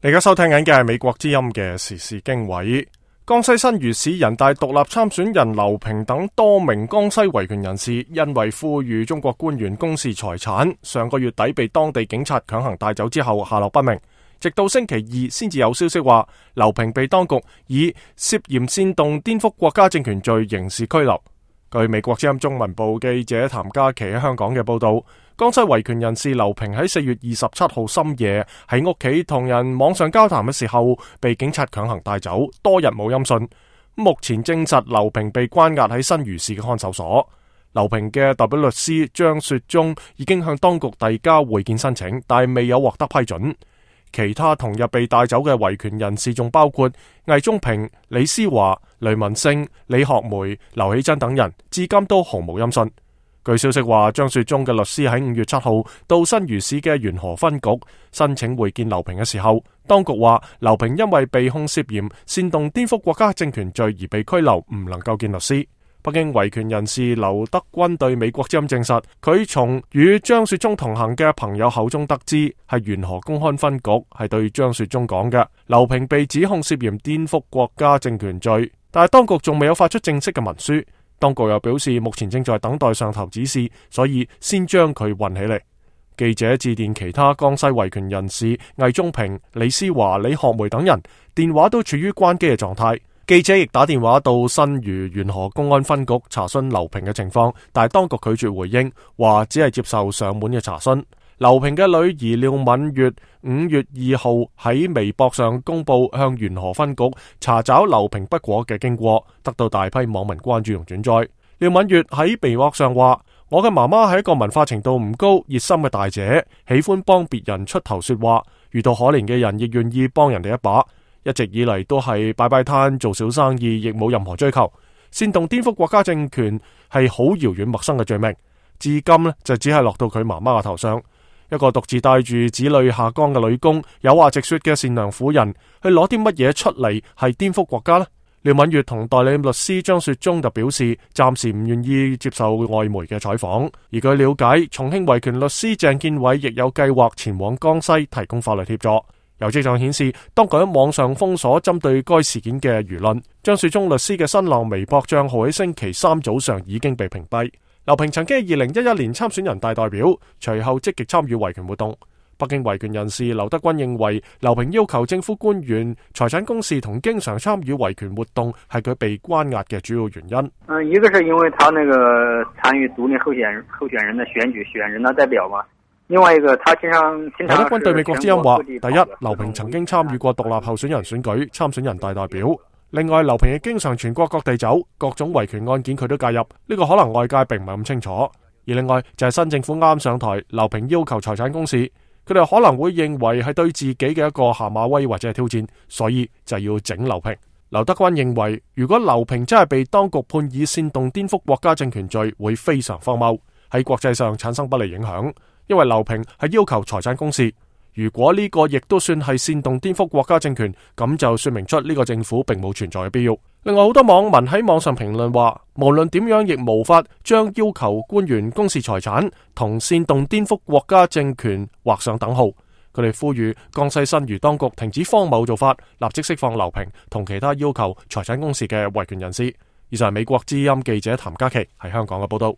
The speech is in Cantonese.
你而家收聽緊嘅係美國之音嘅時事經緯。江西新余市人大獨立參選人劉平等多名江西維權人士，因為呼籲中國官員公示財產，上個月底被當地警察強行帶走之後下落不明，直到星期二先至有消息話劉平被當局以涉嫌煽動顛覆國家政權罪刑事拘留。據美國之音中文部記者譚嘉琪喺香港嘅報道，江西維權人士劉平喺4月27號深夜喺屋企同人網上交談嘅時候，被警察強行帶走，多日冇音訊。目前證實劉平被關押喺新余市嘅看守所。劉平嘅代表律師張雪忠已經向當局遞交會見申請，但未有獲得批准。其他同日被帶走嘅維權人士仲包括魏忠平、李思華、雷文星、李學梅、劉喜珍等人，至今都毫無音訊。據消息話，張雪忠嘅律師喺5月7號到新余市嘅元河分局申請會見劉平嘅時候，當局話劉平因為被控涉嫌煽動顛覆國家政權罪而被拘留，唔能夠見律師。北京維權人士劉德軍對美國之音證實，佢從與張雪忠同行嘅朋友口中得知，係元河公安分局係對張雪忠講嘅，劉平被指控涉嫌顛覆國家政權罪，但係當局仲未有發出正式嘅文書。當局又表示，目前正在等待上頭指示，所以先將佢運起嚟。記者致電其他江西維權人士魏忠平、李思華、李學梅等人，電話都處於關機嘅狀態。記者亦打電話到新余元河公安分局查詢劉平嘅情況，但係當局拒絕回應，話只係接受上門嘅查詢。劉平嘅女兒廖敏月5月2號喺微博上公布向元河分局查找劉平不果嘅經過，得到大批網民關注同轉載。廖敏月喺微博上話：我嘅媽媽係一個文化程度唔高、熱心嘅大姐，喜歡幫別人出頭說話，遇到可憐嘅人亦願意幫人哋一把。一直以嚟都係擺擺攤做小生意，亦冇任何追求。煽動顛覆國家政權係好遙遠陌生嘅罪名，至今呢就只係落到佢媽媽嘅頭上。一個獨自帶住子女下崗嘅女工，有話直說嘅善良婦人，去攞啲乜嘢出嚟係顛覆國家呢？廖敏月同代理律師張雪忠就表示，暫時唔願意接受外媒嘅採訪。而據了解，重慶維權律師鄭建偉亦有計劃前往江西提供法律協助。有跡象顯示，當局喺網上封鎖針對該事件嘅輿論。張雪忠律師嘅新浪微博賬號喺星期三早上已經被屏蔽。劉平曾經喺2011年參選人大代表，隨後積極參與維權活動。北京維權人士劉德軍認為，劉平要求政府官員財產公示同經常參與維權活動係佢被關押嘅主要原因。一個是因為他那個參與獨立候選人的選舉，選人大代表嘛。另外一個，他經常劉德軍對美國之音話：第一，劉平曾經參與過獨立候選人選舉，參選人大代表。另外，劉平亦經常全國各地走，各種維權案件佢都介入。呢個可能外界並唔係咁清楚。而另外就係新政府啱上台，劉平要求財產公示，佢哋可能會認為係對自己嘅一個下馬威或者係挑戰，所以就要整劉平。劉德軍認為，如果劉平真係被當局判以煽動顛覆國家政權罪，會非常荒謬，喺國際上產生不利影響。因為劉平係要求財產公示，如果呢個亦都算係煽動顛覆國家政權，咁就說明出呢個政府並冇存在嘅必要。另外，好多網民喺網上評論話，無論點樣亦無法將要求官員公示財產同煽動顛覆國家政權畫上等號。佢哋呼籲江西新余當局停止荒謬做法，立即釋放劉平同其他要求財產公示嘅維權人士。以上係美國之音記者譚嘉琪喺香港嘅報道。